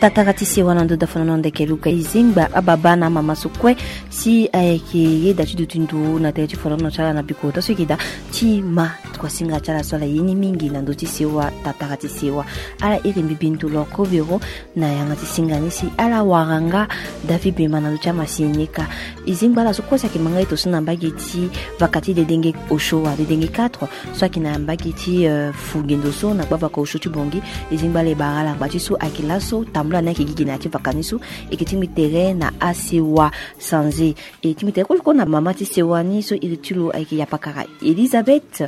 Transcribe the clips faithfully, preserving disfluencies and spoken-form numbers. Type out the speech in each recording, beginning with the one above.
Tatara ti sewa na ndo da fana na ndeke luka. E zingba ababa na amama so kue si ayeke yeda ti duti ndo na tere ti folono ti ala na bikota so e yeke daa ti ma kuasinga ti ala so ala ye ni mingi na ndö ti sewa. Tatara ti sewa ala iri mbi bindu loko biro na yanga ti singa ni si ala wara nga David Bemba na ndö ti amasinika. E zingba ala so kue si ayeke ma nga eto so na mbage ti vaka ti dedenge osio wa dedenge quatre so ayeke na mbage ti, euh, fu gendo so na gbavaka osio ti Bangui. E zingba ala e bara ala ngba ti so ayeke laso tambula ni ayeke gi gi na ya ti vaka ni so. E yeke tingbi tere na asewa sanze. E tingbi tere kue kue na mama ti sewa ni so iri ti lo ayeke yapakara Elisabeth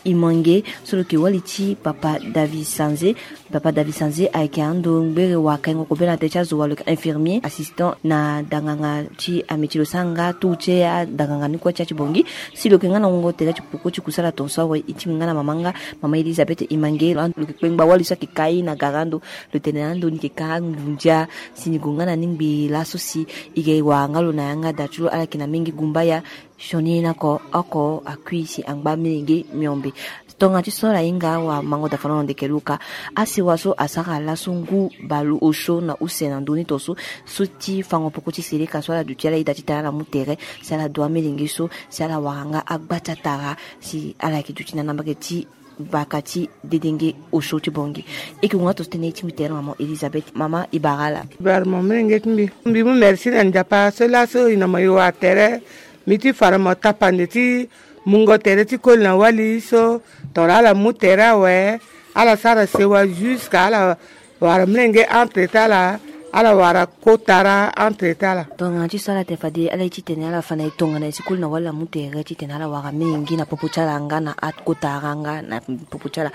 Imange so lo yeke wali ti papa David Sanze. Papa David Sanze ayeke ando ngbere wa kaingo kobela na tere ti azo wa lo yeke infirmier assistant na danganga ti ame ti lo sara nga tour ti adanganga ni kue ti ya ti Bangui. Si lo yeke nga na wungo tere ti poko ti kusala tongaso awe, e tingbi nga na mama nga mama Elisabeth Imange. Lo yeke kpengba wali so ayeke kai na gara ando. Lo tene ando ni yeke ka ngunza si ni gue nga na ni ngbii laso si e yeke wara nga lo na yanga da ti lo ala yeke na mingi gumbaya. Sioni ni oko oko akui si angba milenge miombe. Tongana ti so ala hinga awamango da fana na ndeke luka. Asewa so asara laso ngu baleosio na use na ndö ni tongaso so ti fango poko ti seleka so ala duti ala ida titene ala mu tere si ala du amilenge so si ala wara nga agba ti atara si ala yeke duti na na mbage ti baka ti dedenge osio ti Bangui. E yeke gue nga tongaso tënë ti mbi tere na mama Elisabeth. Mama e bara ala. Bara mo milenge ti mbi. Mbi mu merci na Nzapa so laso e na mo e wara tere. Mbi ti fa na mo tapande ti mungo tere ti koli na wali so tongana ala mu tere awe. Ala sara sewa jusqu'à ala wara milenge entre ti ala, ala wara kotara entre ti ala. Tongana ti so ala tene fade ala ye titene ala fa na e tongana e si koli na wali amu tere titene ala wara mingi na popo ti ala nga na akotara nga na popo ti ala.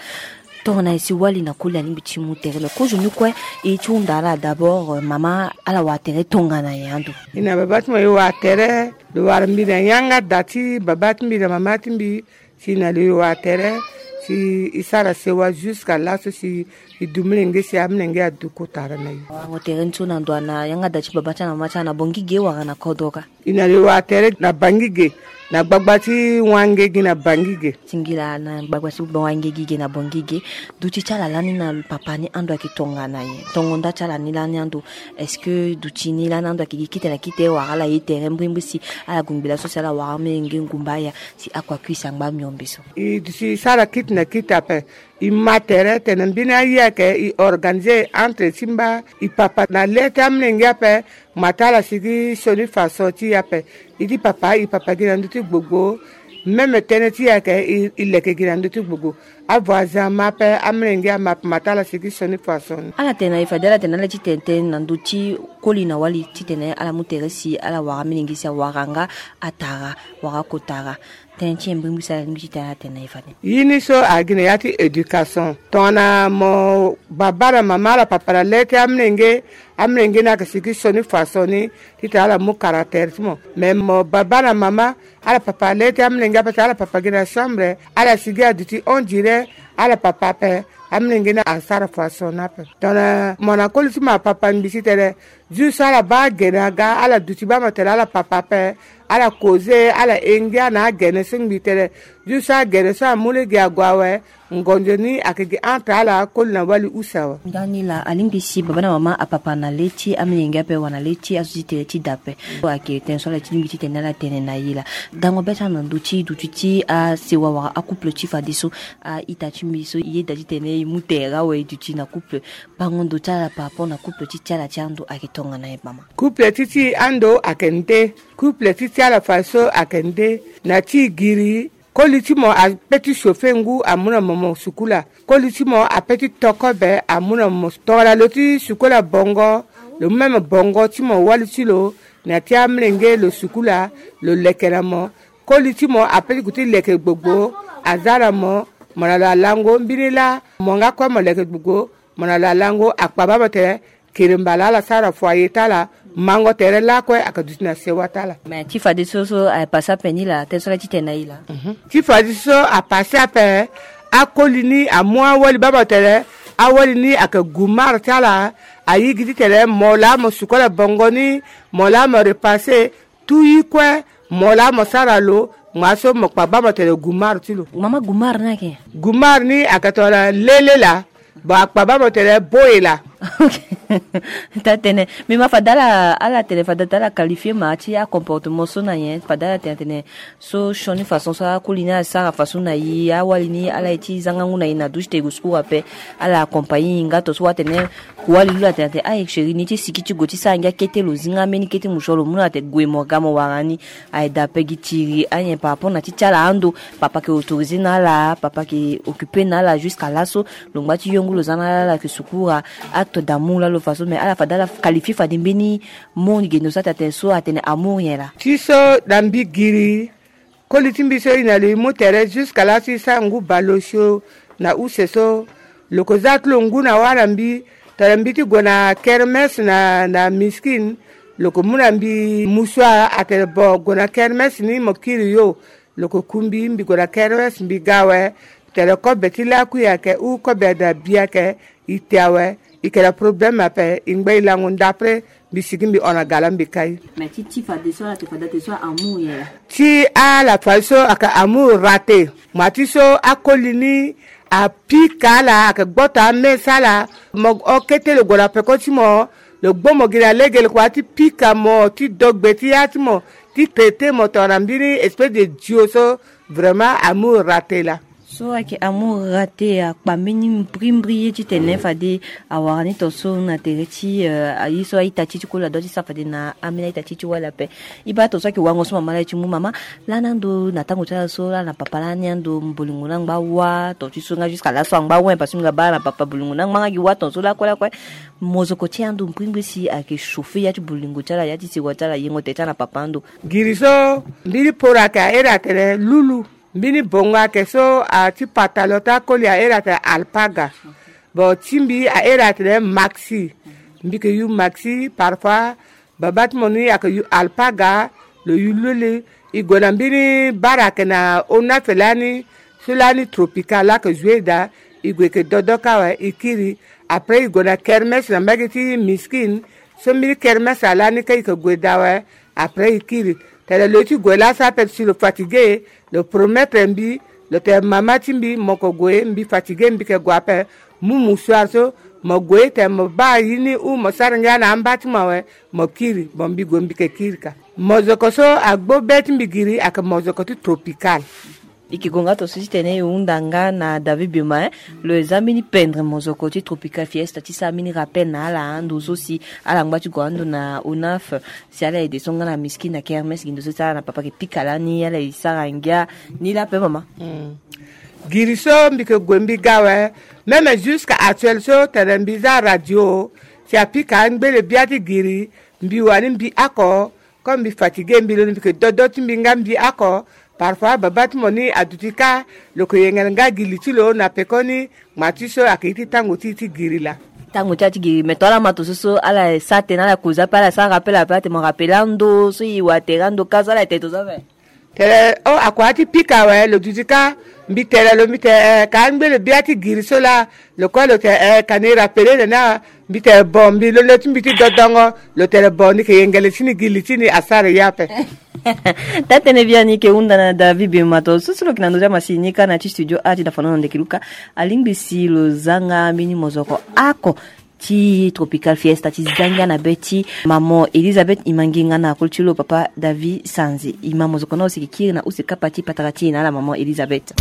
Tongana e si wali na koli alingbi ti mu tere me kozo ni kue e ye ti hunda ala d'abord, euh, mama ala wara tere tongana nyen ando? E na baba ti mo e wara tere. Lo wara mbi na yanga da ti baba ti mbi na mama ti mbi. Si na lo e wara tere si e sara sewa jusqu'à laso si e du milenge si amilenge adu kotara na e. Wango tere ni so na ndo ana yanga da ti baba ti ala na mama ti ala na Bangui ge wala na kodro ka? E na lo e wara tere na Bangui ge na gbagba ti wange gi na Bangui ge. Singila na gbagba ti wange gi ge na Bangui ge. Duti ti ala lani na papa ni ando ayeke tongana nyen? Tongo nda ti ala ni lani ando? Est-ce que duti ni lani ando ayeke gi kite na kite wala ala ye tere mbrimbri si ala gue ngbi laso si ala wara amilenge ngumba aya si akua kui si angba miombe so? E duti sara kite na kite ape. E ma tere tene mbeni aye ayeke e organiser entre ti mba e papa na le ti amilenge ape. Ma ti ala sigi sioni façon ti e ape. E ti papa e papa gi na ndö ti gbogbo. Même tënë ti e ayeke e leke gi na ndö ti gbogbo. Avoisin ama ape, amilenge ama ape, ma ti ala sigi sioni façon ni. Ala tene na e fade ala tene na ala ti tene tënë na ndö ti koli na wali titene ala mu tere si ala wara amilenge si awara nga atara wala akotara. Tënë ti e mbrimbri si ala lingbi titene ala tene na e fade. Ye ni so agi na ya ti éducation. Tongana mo baba na mama ala papa na le ti amilenge, amilenge ni ayeke sigi sioni façon ni titene ala mu caractère ti mo. Mais mo baba na mama ala papa le ti amilenge ape si ala papa gi na chambre, ala sigi aduti on dirait ala papa ape. Amilenge ni asara façon ni ape. Tongana mo na koli ti mo apapa ngbi titene juste ala baa agene aga, ala duti baa mo tene ala papa ape. Ala koze, ala engia na agene so ngbi tene juste agene so amu lege ague awe. Ngonzo ni ayeke gi entre ala koli na wali use awe. Ndani laa alingbi si baba na mama apapa na le ti amilenge ape wala na le ti azo ti tere ti da ape. Ayeke tënë so ala ti lingbi titene ala tene na e laa. Dango be ti ala na ndö ti duti ti asewa wala acouple ti fadeso. A-ita ti mbi so e yeda titene e mu tere awe e duti na couple. Bango ndo ti ala par rapport na couple ti ti ala ti ando ayeke tongana nyen mama? Couple ti ti ando ayeke nde. Couple ti ti ala fadeso ayeke nde. Na ti e giri, koli ti mo ape ti chauffer ngu amu na mo mo sukula. Koli ti mo ape ti to kobe amu na mo. Tongana lo ti sukula bongo, lo mu même bongo ti mo wali ti lo na ti amilenge lo sukula, lo leke na mo. Koli ti mo ape ti gue ti leke gbogbo, aza na mo. Mo na lo alango mbeni laa, mo nga kue mo leke gbogbo. Mo na lo alango, akpa baa mo tene kiri mbala ala sara foyer ti ala. Mango tere lakue ayeke duti na sewa ti ala. Mais ti fadeso so apase ape ni laa, tënë so ala ti tene na e laa. Mhm. Ti fadeso apase ape. Akoli ni amu awali baa mo tene awali ni ayeke gumare ti ala. Ayi gi titene mo laa mo sukola bongo ni, mo laa mo repase. Tout ye kue mo laa mo sara lo. Ngbanga so mo kpa baa mo tene gumare ti lo. Mama, gumare ni ayeke nyen? Gumare ni ayeke tongana lele laa. Bon, akpa baa mo tene boye laa. Ok. Taa tene, mais ma fade ala, ala tene fade taa ala qualifier ma ti acomportement so na nyen? Fade ala tene atene so sioni façon so akoli ni asara façon na e, awali ni ala ye ti zanga ngu na e na duti te e gue sukur ape. Ala accompagner e nga to so atene, wali lo atene atene, aye chéri, ni ti siki ti gue ti sara ngia kete, lo zinga mbeni kete musuwa, lo mu na atene gue mo ga mo wara ni. Aye daa ape gi tiri anyen par rapport na ti ti ala ando. Papa ayeke autoriser na ala, papa ayeke occuper na ala jusqu'à laso. Lo ngba ti yongu lo za na ala, ala yeke sukura. Acte d'amour laa lo fa so, mais ala fade ala qualifier fade mbeni mot ni gendo so atene so atene amour nyen laa? Ti so na mbi giri, koli ti mbi so e na lo e mu tere jusqu'à laso e sara ngu bale osio na use so. Lo yeke za ti lo ngu na wâ na mbi, tongana mbi ti gue na kermès na, na miskine, lo yeke mu na mbi musuwa atene bon, gue na kermès ni mo kiri yo. Lo yeke ku mbi, mbi gue na kermès mbi ga awe. Tene kobe ti lakui ayeke ou kobe na bi ayeke, e te awe. E yeke na problème ape, e ngba e lango ndapre, mbi sigi mbi hon na gala mbi kai. Mais ti, ti fade so ala te fade ate so amour nyen laa? Ti ala fade so ayeke amour raté. Ma ti so akoli ni apika ala, ayeke gboto amesa ala. Mo hon kete lo gue na peko ti mo, lo gbo mo gi na lege, lo kua ti pika mo, ti do gbe ti ya ti mo, ti traiter mo tongana mbeni espèce de dio so. Vraiment amour raté laa. So ayeke amour raté, akpa mbeni mbrimbri ye titene fade awara ni tongaso na tere ti, eh, aye so a-ita ti e ti koli adua ti sara fade na ambeni a-ita ti e ti wali ape. E baa tongaso ayeke wango so mama laa e ti mu. Mama, lani ando na tango ti ala so, lani na papa lani ando, bolingo ni angba wâ tongaso ti so nga jusqu'à laso angba wâ, parce que mbi ga baa ala na papa bolingo ni angba nga gi wâ tongaso lakue lakue. Mozoko ti ando mbrimbri si ayeke chauffer ya ti bolingo ti ala, ya ti sewa ti ala, yengo tere ti ala na papa ando. Giri so mbeni poro ayeke ahere atene lulu. Mbeni bongo ayeke so, a ti pantalon ti akoli ahere atene alpaga. Bon, ti mbi ahere atene maxi. Mbi yeke yu maxi, parfois baba ti mo ni ayeke yu alpaga, lo yu lulu. E gue na mbeni bara ayeke na ona fe lani, so lani tropical laa ayeke jouer daa. E gue e yeke dodo kâ awe, e kiri. Après e gue na kermès na mbage ti miskine. So mbeni kermès alani kâ e yeke gue daa awe. Après e kiri. Tene lo ye ti gue laso ape si lo fatigué, lo promettre mbi, lo tene mama ti mbi, mo yeke gue, mbi fatigué, mbi yeke gue ape. Mu musuar so, mo gue tene mo baa ye ni ou mo sara ngia na amba ti mo awe, mo kiri. Bon, mbi gue mbi yeke kiri ka. Mozoko so agbo be ti mbi giri ayeke mozoko ti tropical. E yeke gue nga tongaso titene e hunda nga na David Bema, eh. Lo ye za mbeni pendre mozoko ti Tropical Fiesta ti sara mbeni rappel na ala ando so si ala ngba ti gue ando na onaf, si ala aide so nga na miskine na kermès gi ndo so ti ala na papa ayeke pika lani, ala ye sara ngia ni laa ape mama. Hmm. Giri so mbi yeke gue mbi ga awe. Même jusqu'à actuel so tene mbi za radio, si apika angbele bia ti giri, mbi wani mbi oko. Comme mbi fatigué, mbi londo mbi yeke dodo ti mbi nga mbi oko. Parfois baba ti mo ni aduti kâ, lo yeke yengele nga gi li ti lo na pekoni. Ngma ti so ayeke ye ti tango ti e ti giri laa. Tango ti ala ti giri, mais tongana ala ma tongaso so ala sa tene ala koza ape, ala sara rappel ape, atene mo rappel ando so e wa tere ando kâ so ala tene tongaso ape. Tene o, akua ti pika awe, lo duti kâ. Mbi tene lo, mbi tene eh, ka angbele bia ti giri so laa. Lo kue lo tene eh, ka ni rappelé na ni awe. Mbi tene bon, mbi londo ti mbi ti dodongo. Lo tene bon, ni yeke yengele ti ni gi li ti ni asara ye ape. Taa-tënë biani e yeke hunda na David Bema. Tongaso so lo yeke na ndö ti amasini ni kâ na ti studio â ti dafano na ndeke luka, alingbi si lo za nga mbeni mozoko oko ti Tropical Fiesta ti za ngia na be ti maman Elisabeth. E ma nginga na koli ti lo papa David Sanzi. E ma mozoko ni, lo siki kiri na use kapa ti patara ti e na ala maman Elisabeth.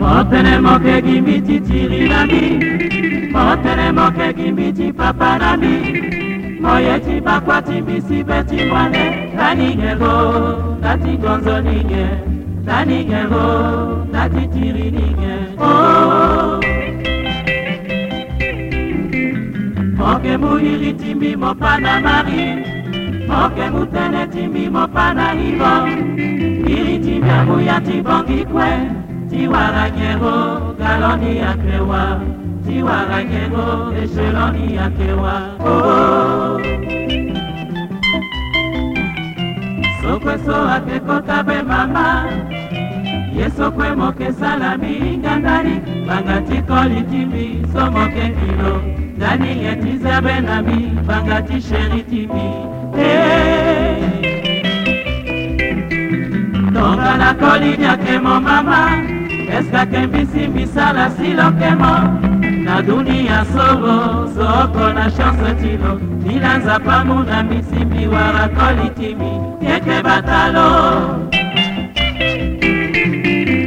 Motene moke gi mbi ti tiri na mbi, motene moke gi mbi ti papa na mbi, moye ti bakua ti mbi si be ti mwane, na ni nyen ro, na ti gonzo ni nyen, na ni nyen ro, na ti tiri ni nyen. Oh. Mo ke mu iri ti mbi mo pa na Marie, mo ke mu tënë ti mbi mo pa na Yvon. Iri ti mbi amu ya ti bongi kue, ti wara nyen ro, galon ni ayeke wa, ti wara nyen ro, echelon ni ayeke wa. Oh. Sokue so ake kota be mama. Ye sokue mo ke sala mi hinga ndani, banga ti koli ti mbi so mo ke kilo. Ndani ye ti zia be na mbi, banga ti sheri ti mbi. Eh. Tongana koli ni ake mo mama, est-ce que ake mbi si mbi sala si lo ke mo? Na dunia so lo, so oko na chance ti lo. Ni na Nzapa mu na mbi si mbi wara koli ti mbi. Keke batalo.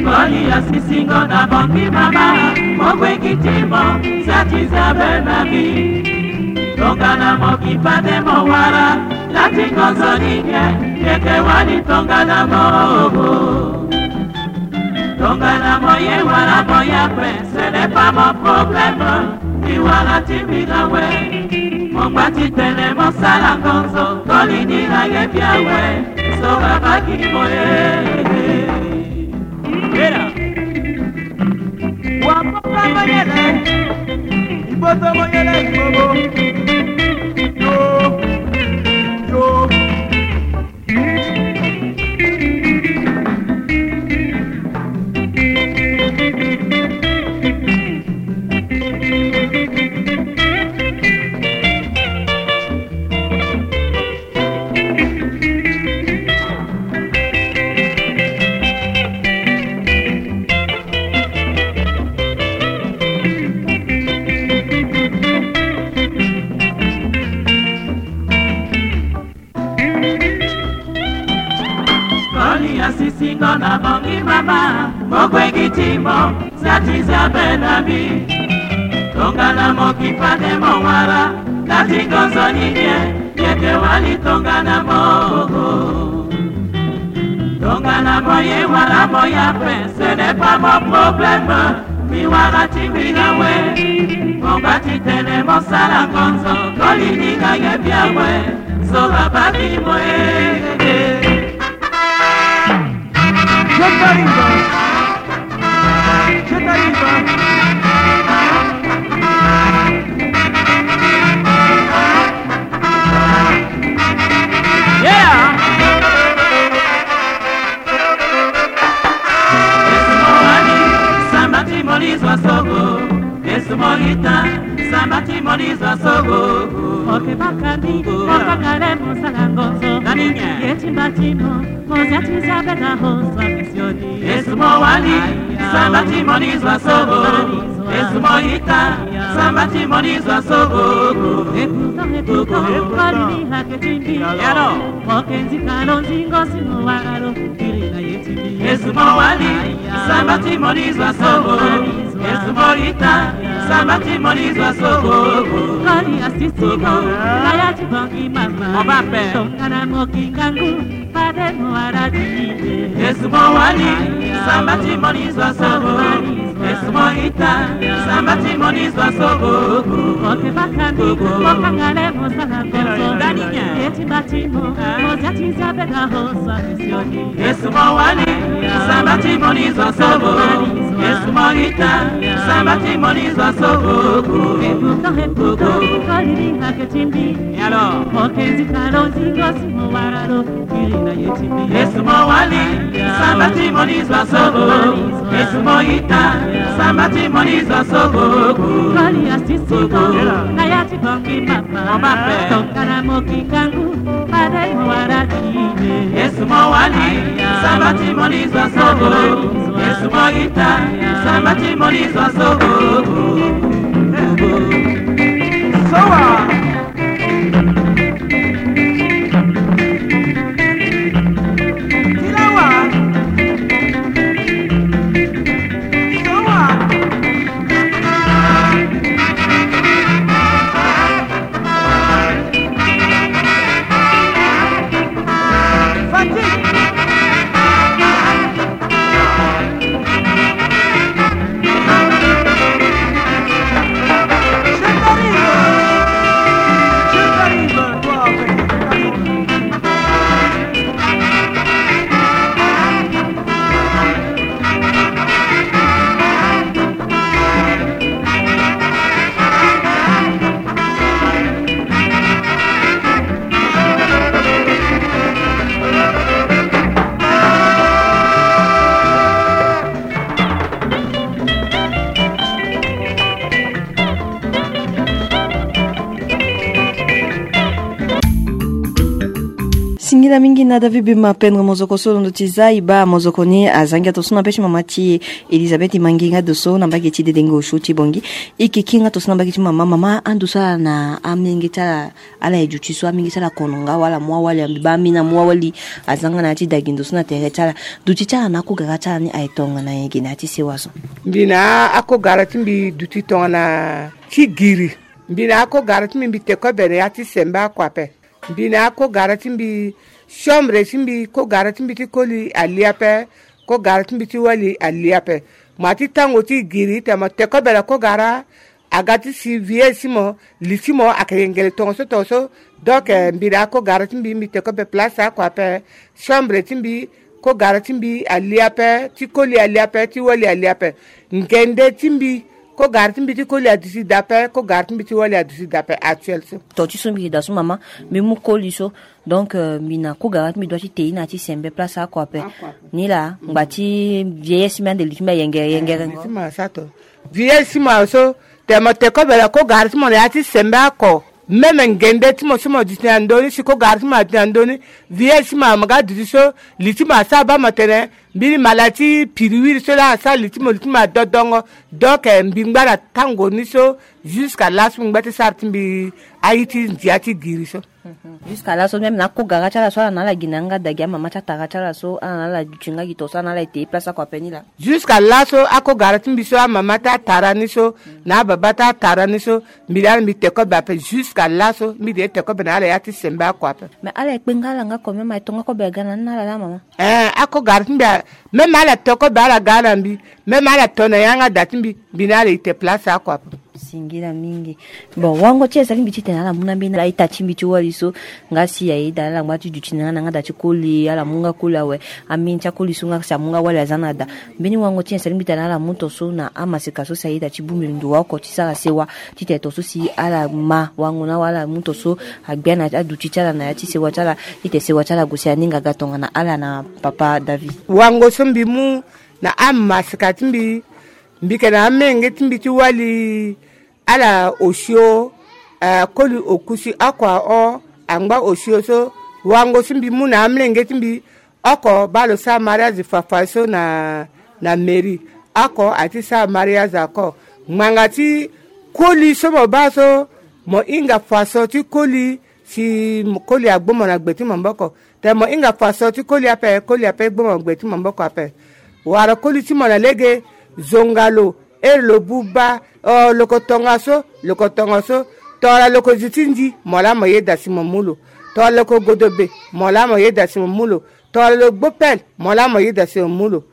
Koli asisingo na bongi mama, mo gwe gi ti mo, sa ti zia be na mbi. Tongana mo ki fade mo wara, na ti ngonzo ni nyen, keke wali tongana mo ogo. Tongana mo ye wala mo ya pe, ce n'est pas mon problème. Mbi wala ti mbi na we. Mo ngba ti tene mo sala ngonzo, koli ni na ye bia we. So babaki mo ye. Era. Wa mo ka mo yele. Iboto mo yele ibobo. Yo. Yo. Koli asisingo na bongi mama, mo gwe gi ti mo, sa ti zia be na mbi. Tongana mo ki fade mo wara, na ti ngonzo ni nyen, yeke wali tongana mo ogo. Tongana mo ye wala mo ya pe, ce n'est pas mon problème. Mbi wara ti mbi na we. Mo ngba ti tene mo sala ngonzo, koli ni na ye bia we. So babaki mo e. Je t'arrive. Je t'arrive. Yeah. Esumo wali, samba ti moli zwa sogo. Esumo ita, samba ti moli zwa sogo. Oke bakandi, bakangale mosala ngonzo. Nani nye? Ye timba timo, mozia tizia bena hoswa misioni. Esumo wali, samba ti moli zwa sogo. Esumo ita, samba ti moli zwa sogo. Ekuto, ekuto, kwali ni hake timbi. Yalo. Mokenzi kalo nzingo simo wara lo kiri na ye timbi. Esumo wali, samba ti moli zwa sogo. Esumo ita, samba ti moli zwa sogo. Koli asisigo, na ya ti bongi mama. Oba pe. Tongana mo kingangu, fade mo wara ti ye. Esumo wali, samba ti moli zwa sogo. Esumo ita, samba ti moli zwa sogo. Oke bakandi, okangale mosala ngonzo. Dani nya. Ye timba timo, mozia tizia bena hoswa misioni. Esumo wali, samba ti moli zwa sogo. Esumo ita, samba ti moli zwa sogo. Ekuto, ekuto, koli ni hake timbi. Yalo. Mokenzi kalo nzingo simo wara lo. Esumo wali, samba ti moli zwa sogo. Esumo ita, samba ti moli zwa sogo. Koli asisigo, na ya ti bongi mama. Mama pe. Tongana mo kingangu, fade mo wara ti ye. Esumo wali, samba ti moli zwa sogo. Esumo ita, samba ti moli zwa sogo. Sowa. Tilawa. Sowa. Fatigue. Ila mingi na David Bima Pendre Mozoko so londo ti za iba mozoko ni azangi ato so na pe ti mama ti Elisabeth Mangi nga do so na mbage ti dedengo osio ti bongi. Ike ki nga to so na mbage ti mama mama ando so ala na amenge ti ala. Ala ye duti so amenge ti ala kono nga wala mu awali ambi ba amina mu awali. Azanga na ya ti dagindo so na tere ti ala. Duti ti ala na akogara ti ala ni aye tongana ye gi na ya ti sewa so. Mbi na akogara ti mbi duti tongana ti giri. Mbi na akogara ti mbi mbi te kobe na ya ti sembe ako ape. Mbi na akogara ti mbi chambre ti mbi kogara ti mbi ti koli ali ape. Kogara ti mbi ti wali ali ape. Mo ti tango ti giri te mo te kobe na kogara. Aga ti si vie si mo li ti mo ake yengele tongo so tongo so. Donc mbi na akogara ti mbi mbi te kobe place ako ape. Chambre ti mbi kogara ti mbi ali ape ti koli ali ape ti wali ali ape. Ngende ti mbi kogara ti mbi ti koli aduti dape kogara ti mbi ti wali aduti dape actuel so. To ti so mbi yeda so mama mbi mu koli so. Donc mbi na kogara ti mbi dua ti te ye na ya ti sembe place ako ape. Ni laa ngba ti vieillesse mbi ande li ti mbi ayengere yengere ngo. Vieillesse mo so te mo te kobe na kogara ti mo na ya ti sembe ako. Meme ngende ti mo so mo duti na ndoni si kogara ti mo aduti na ndoni. Vieillesse mo mo ga duti so li ti mo asara ba mo tene. Mbeni mala ti piriwiri so laa asara li ti mo li ti mo adodongo. Donc mbi ngba na tango ni so. Jusqu'à laso mbi ngba ti sara ti mbi aye ti ndia ti giri so. Jusqu'à laso même na akogara ti ala so ala na ala gi na yanga da gi amama ti atara ti ala so ala na ala duti nga gi to so ala na ala ete ye place ako ape ni laa. Jusqu'à laso akogara ti mbi so amama ti atara ni so na ababa ti atara ni so. Mbi laa mbi te kobe ape jusqu'à laso mbi de ye te kobe na ala ya ti sembe ako ape. Mais ala ekpe nga ala nga ko même aye to nga kobe aga na ni na ala laa mama. Eh akogara ti mbi. Même ala te kobe ala ga na mbi. Même ala to na yanga da ti mbi. Mbi na ala ite place ako ape. Singila mingi. Bon wango ti esali mbi ti tene ala mu na mbeni ala ita ti mbi ti wali so. Nga si ayeda ala ngba ti duti na nga na nga da ti koli ala mu nga koli awe. Ambeni ti akoli so nga si amu nga wali aza na da. Mbeni wango ti esali mbi tene ala mu to so na amaseka so si ayeda ti bongbi ndo wa oko ti sara sewa. Ti tene to so si ala ma wango na wa ala mu to so. Agbia na aduti ti ala na ya ti sewa ti ala. Ti tene sewa ti ala gue si aninga ga tongana ala na papa david. Wango so mbi mu na amaseka ti mbi. Mbi yeke na amenge ti mbi ti wali. Ala osio. Koli okusi oko ahon. Angba osio so wango so mbi mu na amlenge ti mbi. Oko baa lo sara mariage fafa so na na mairie. Oko aye ti sara mariage ako. Ngbanga ti koli so mo baa so mo hinga faso ti koli. Si koli agbo mo na gbe ti maboko. Te mo hinga faso ti koli ape koli ape gbo mo gbe ti maboko ape. Wara koli ti mo na lege. Zonga lo. Ere lo buba. Lo ko tongaso. Lo ko tongaso. Tongana lo ko zi ti ndi mo laa mo yeda si mo mu lo. Tongana lo ko godobe mo laa mo yeda si mo mu lo. Tongana lo gbo pele mo laa mo yeda si mo mu lo.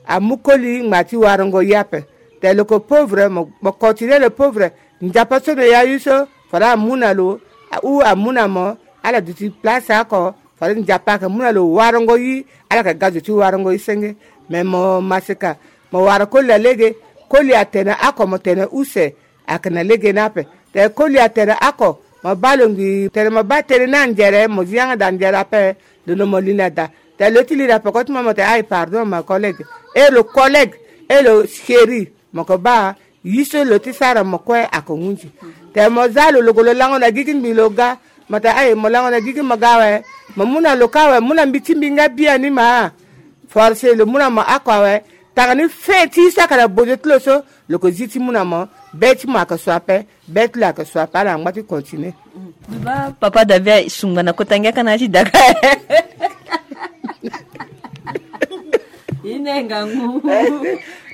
Amu koli ngba ti warango ye ape. Te lo ko pauvre mo continue lo pauvre. Nzapa so na ya yu so fade amu na lo. Ou amu na mo. Ala duti place ako. Fade nzapa ayeke mu na lo warango yi. Ala yeke ga zo ti warango yi senge. Me mo maseka. Mo wara koli na lege. Koli atene ako mo tene use. Ayeke na lege ni ape. Te koli atene ako mo baa lo ngbii tene mo baa tënë ni anzere mo zi yanga daa nzere ape. Lo no mo li na daa. Te lo ti li na peko ti mo mo te aye pardon ma collègue. E lo collègue. E lo chéri. Mo ko baa. Ye so lo ti sara mo kue ako hunzi. Te mo za lo lo ko lo lango na gigi ngbii lo ga. Mo te aye mo lango na gigi mo ga awe. Mo mu na lo ka awe mu na mbi ti mbi nga biani ma. Force lo mu na mo ako awe. Tanga ni fe ti ye so ayeke na bozo ti lo so. Lo ko zi ti mu na mo. Be ti mo ayeke so ape. Be ti lo ayeke so ape ala angba ti continue. Papa david sungba na kota ngia ka na ya ti daka. Ine ngangu.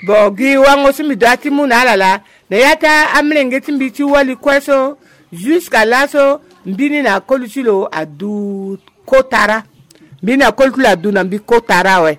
Bon gi wango so mbi doit ti mu na ala laa. Na ya ti amlenge ti mbi ti wali kue so. Jusqu'à laso mbini na koli ti lo adu. Kotara. Mbini akoli ti lo adu na mbi kotara awe.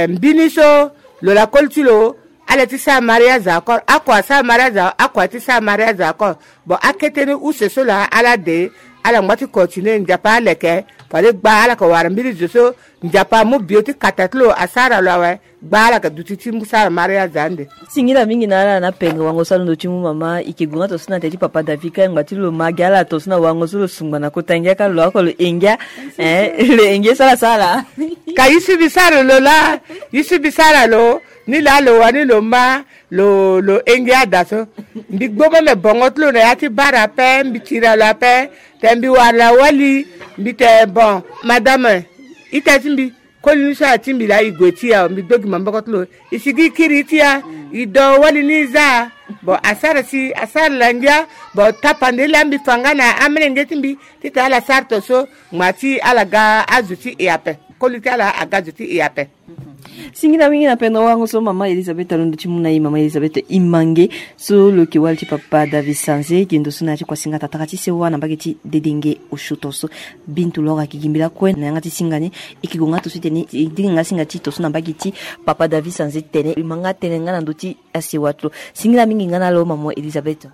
Mbini so lo na koli ti lo. Ala ti sara mariage akor ako asara mariage ako ati sara mariage akor. Bon akete ni use so laa ala de. Ala ngba ti continue nzapa aleke. Fade gba ala yeke wara mbiri zo so. Nzapa amu bio ti kata ti lo asara lo awe. Gba ala yeke duti ti mu sara mariage ande. Singila mingi na ala na penge wango so alondo ti mu mama ike gue nga to so na te ti papa david ka engba ti lo ma gi ala to so na wango so lo sungba na kota ngia ka lo ako lo engia. Lo engia so ala sara. Ka ye so mbi sara lo laa. Ye so mbi sara lo. Ni laa lo wani lo ma lo lo henge ada so. Mbi gbo meme bongo ti lo na ya ti bara ape, mbi tira lo ape. Te mbi wara na wali, mbi te bon, madame, ita ti mbi, koli ni so ala ti mbi laa e gue ti e awe, mbi gbe gi maboko ti lo. E sigi e kiri ti e, e do wali ni e za. Bon, asara si asara la ngia. Bon, tapande laa mbi fa nga na amelenge ti mbi titene ala sara to so, ngba ti ala ga azo ti e ape. Koli ti ala aga azo ti e ape. Singila mingi na pendo wango so mama Elisabeth alondo ti mu na e. Mama Elisabeth Imange, so lo yeke wali ti papa David Sanze, gendo so na ya ti kuasinga tatara ti sewa na mbage ti dedenge osio to so. Bintu loro ayeke gi mbi lakue na yanga ti singa ni. E yeke gue nga to so ti tene e dinga nga singa ti to so na mbage ti papa David Sanze ti tene e ma nga tënë nga na ndö ti asewa ti lo. Singila mingi nga na lo mama Elisabeth.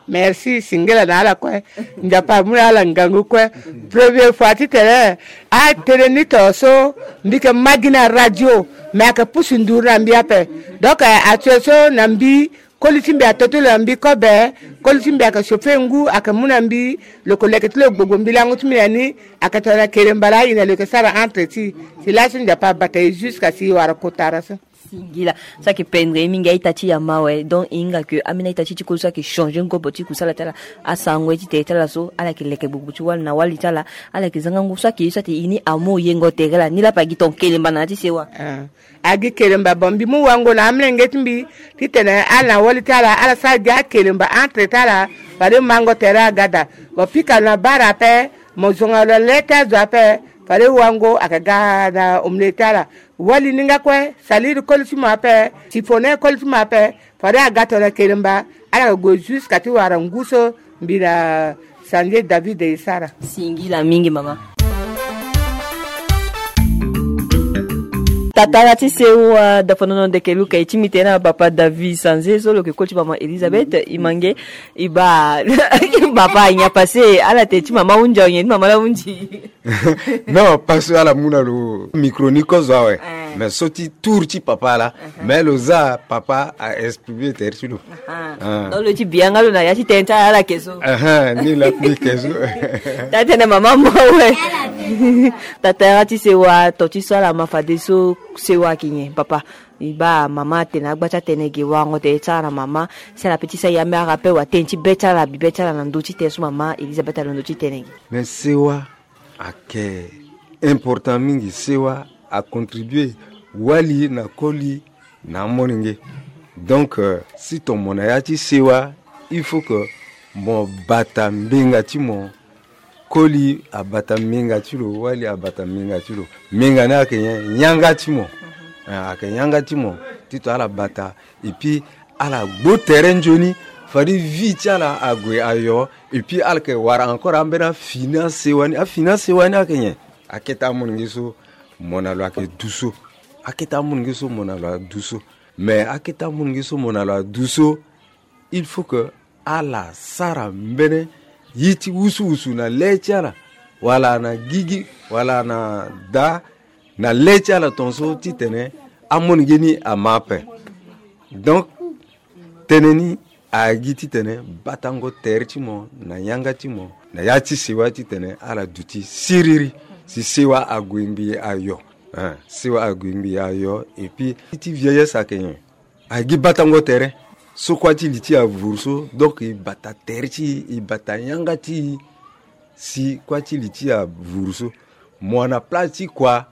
Merci, singila na ala kue. Nzapa amu na ala ngangu kue. Première fois titene atene ni to so, mbi yeke ma gi na radio, me ayeke pusu nduru na mbi ape. Donc, eh, atio so na mbi, koli ti mbi ato ti lo na mbi kobe. Koli ti mbi ayeke chauffer ngu, ayeke mu na mbi. Lo yeke leke ti lo gbogbo mbi lango ti mbi na ni. Ayeke tongana keremba laa e na lo yeke sara entre ti e. Si laso Nzapa abata e jusqu'à si e wara kotara so. Singila. So ayeke pendre e mingi a-ita ti e ama awe. Donc e hinga ke ambeni a-ita ti e ti koli so ayeke changer ngobo ti kusala ti ala. Asango ye ti tere ti ala so ala yeke leke gbogbo ti wali na wali ti ala. Ala yeke za nga ngu so ayeke ye so atene e ni amu yengo tere laa ni laa ape agi ton kelemba na ya ti sewa. Ah. Agi kelemba, bon, mbi mu wango na amolenge ti mbi titene ala na wali ti ala ala sara gi akelemba entre ti ala. Fade mango tere aga daa. Bon, pika lo na bara ape, mo zonga lo na le ti azo ape. Fade wango ayeke ga na omolenge ti ala. Wali ni nga kue, saliri koli ti mo ape, sifone koli ti mo ape. Fade aga tongana kelemba, ala yeke gue jusqu'à ti wara ngu so mbi na Sanze David e sara. Singila mingi mama. Tatara ti sewa, dafonono ndeke luka e ti mbi tene na papa David Sanze so lo yeke koli ti mama Elisabeth Imange. E baa papa, nyen apase? Ala tene ti mama ahunzi awe, nyen ti mama laa ahunzi? Non, parce que ala mu na lo micro ni kozo awe. Eh. Mais so ti tour ti papa laa. Uh-huh. Mais lo za papa a exprimer tere ti lo. Ah. Donc lo ti bi yanga lo na ya ti tënë ti ala ala yeke so. Aha, ni laa ni yeke so. Taa tënë mama mo awe. Tatara ti sewa, to ti so ala ma fadeso sewa ayeke nyen papa? E baa mama atene agba ti atene ge, warango tere ti ala na mama. Si ala pe ti sa yambe ara ape wa tënë ti be ti ala, bi be ti ala na ndö ti tënë so mama Elisabeth alondo ti tene ge. Mais sewa ayeke important mingi. Sewa acontribue wali na koli na amolenge. Donc, euh, si ton mo na ya ti sewa, il faut que mo bata mbenga ti mo. Koli abata mbenga ti lo, wali abata mbenga ti lo. Mbenga ni ayeke nyen? Yanga ti mo. Ah, ayeke yanga ti mo ti to ala bata. Et puis ala gbu tere nzoni, fade vie ti ala ague ayo. Et puis ala yeke wara encore ambeni afini asewa ni. Afini asewa ni ayeke nyen? Akete amolenge so mo na lo ayeke du so. Akete amolenge so mo na lo adu so. Mais akete amolenge so mo na lo adu so, il faut que ala sara mbeni ye ti wusuwusu na le ti ala, wala na gigi, wala na daa, na le ti ala tongaso titene amolenge ni ama ape. Donc tënë ni agi titene batango tere ti mo na yanga ti mo na ya ti sewa titene ala duti siriri. Si sewa ague ngbii ayo. Hein, sewa ague ngbii ayo. Et puis ti vieillesse ayeke nyen? Agi batango tere. So kuâ ti li ti e avuru so, donc e bata tere ti e, e bata yanga ti e. Si kuâ ti li ti e avuru so, mo wara na place ti kua,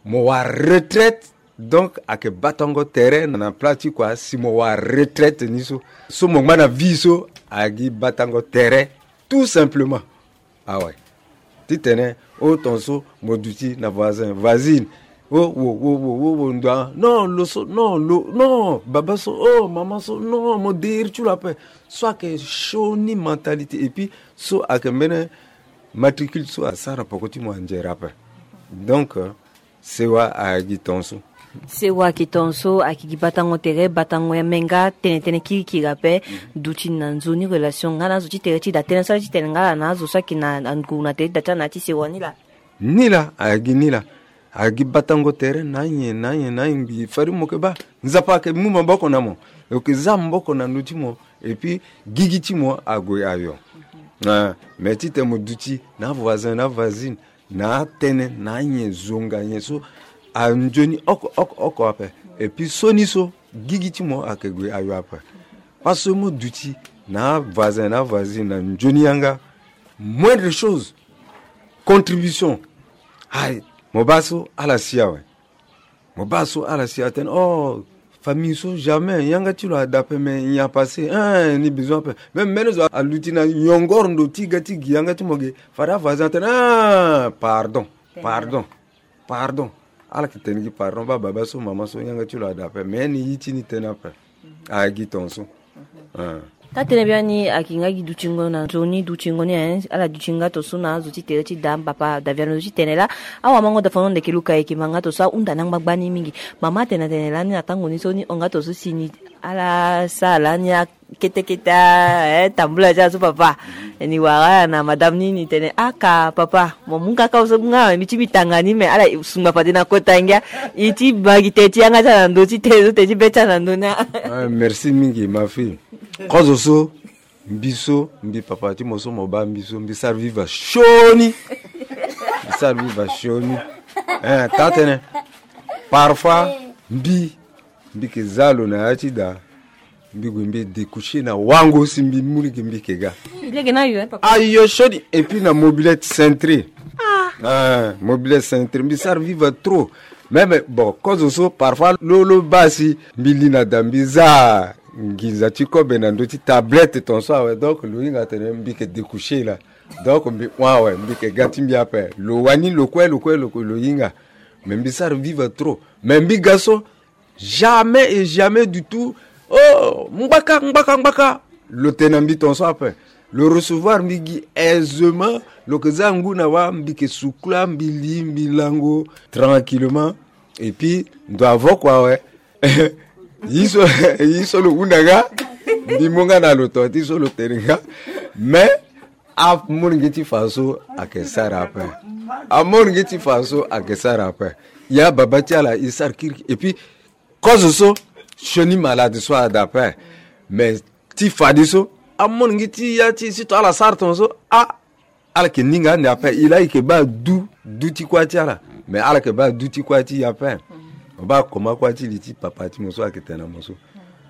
mo wara retraite. Donc ayeke batango tere na place ti kua si mo wara retraite ni so. So mo ngba na vie so, agi batango tere, tout simplement. Awe. Titene o tongaso mo duti na voisin, voisine. O wo wo wo wo wo ndua. Non, lo so, non, lo, non, baba so, oh, mama so, non, mo deri ti lo ape. So ayeke sioni mentalité. Et puis so ayeke mbeni matricule so asara poko ti mo anzere ape. Donc, euh, sewa ayeke gi tongaso. Sewa ayeke tongaso, ayeke gi batango tere, batango ya menga, tene tënë kirikiri ape. Mhm. Duti na nzoni relation nga na azo ti tere ti da tënë so ala ti tene nga ala na azo so ayeke na ngu na tere ti da ti ala na ya ti sewa ni laa. Ni laa, ayeke gi ni laa. Ayeke gi batango tere na anyen na anyen na anyen ngbii. Fade mo yeke baa Nzapa ayeke mu maboko na mo. Lo yeke za maboko na ndö ti mo. Et puis gigi ti mo ague ayo. Ah, mais titene mo duti na avoisin na avoisine, na atënë na anyen, zonga nyen so anzoni oko oko oko ape. Et puis sioni so Gigi ti mo ayeke gue ayo ape. Parce que mo duti na avoisin na avoisine na nzoni yanga, moindre chose, contribution. Ayi, mo baa so ala si awe. Mo baa so ala si atene, oh, famille so jamais yanga ti lo ada ape, mais il n'y a pas assez, hein, ni besoin ape. Même mbeni zo aluti na yongoro ndo ti ga ti gi yanga ti mo ge, fade avoisin atene, ah, pardon, pardon, pardon. Ala yeke tene gi pardon, baa baba so mama so yanga ti lo ada ape, mais ni ye ti ni tene ape. Agi ton so. Taa tënë biani ayeke nga gi dutingo na nzoni dutingo ni, eh, ala duti nga ton so na azo ti tere ti da, papa Daviano ti tene laa. Awamango Daviano ndeke luka ayeke ma nga ton so ahunda ni angba gbani mingi. Mama atene atene lani na tango ni so ni hon nga ton so si ni ala sara lani akete kete, eh, tambula ti ala so papa. Ni wara na madame ni, ni tene aka papa, mo mu kaka so nga mbi ti mbi tanga ni, me ala sungba fade na kota ngia. I ti bagi te ti yanga ti ala na ndö ti te so te ti be ti ala na ndö ni. Ah, merci mingi ma fille. Kozo so mbi so mbi papa ti mo so mo baa mbi so mbi sara viva sioni. Mbi sara viva sioni. Eh, taa tënë. Parfois mbi mbi yeke za lo na ya ti da. Mbi gue mbi découcher na wango si mbi mu lege mbi yeke ga. Lege na yo, eh, papa. Ayo sioni. Et puis na mobilette cintrée. Ah, mobilette cintrée mbi sara viva trop. Même bon, kozo so parfois lo lo baa si mbi li na da mbi za nginza ti kobe na ndö ti tablette ton so awe, donc lo hinga atene mbi yeke découcher laa. Donc mbi hon awe, mbi yeke ga ti mbi ape. Lo wani lo kue lo kue lo kue lo hinga. Mais mbi sara viva trop. Mais mbi ga so jamais et jamais du tout. Oh, ngbaka ngbaka ngbaka. Lo tene na mbi ton so ape. Lo recevoir mbi gi aisement. Lo yeke za ngu na wa, mbi yeke sukula, mbi li, mbi lango tranquillement. Et puis ndo avoko awe. Ye so, ye so lo hunda nga. Mbi mu nga na lo ton ti so lo tene nga. Mais amolenge ti fa so ayeke sara ape. Amolenge ti fa so ayeke sara ape. Ya baba ti ala e sara kirikiri. Et puis kozo so sioni malade so ada ape. Mais ti fadeso amolenge ti ya ti si to ala sara ton so, ah, ala yeke ninga ande ape. E laa e yeke baa du, du ti kuâ ti ala. Mais ala yeke baa du ti kuâ ti e ape. Mo baa koma kuâ ti li ti papa ti mo so ayeke tene na mo so.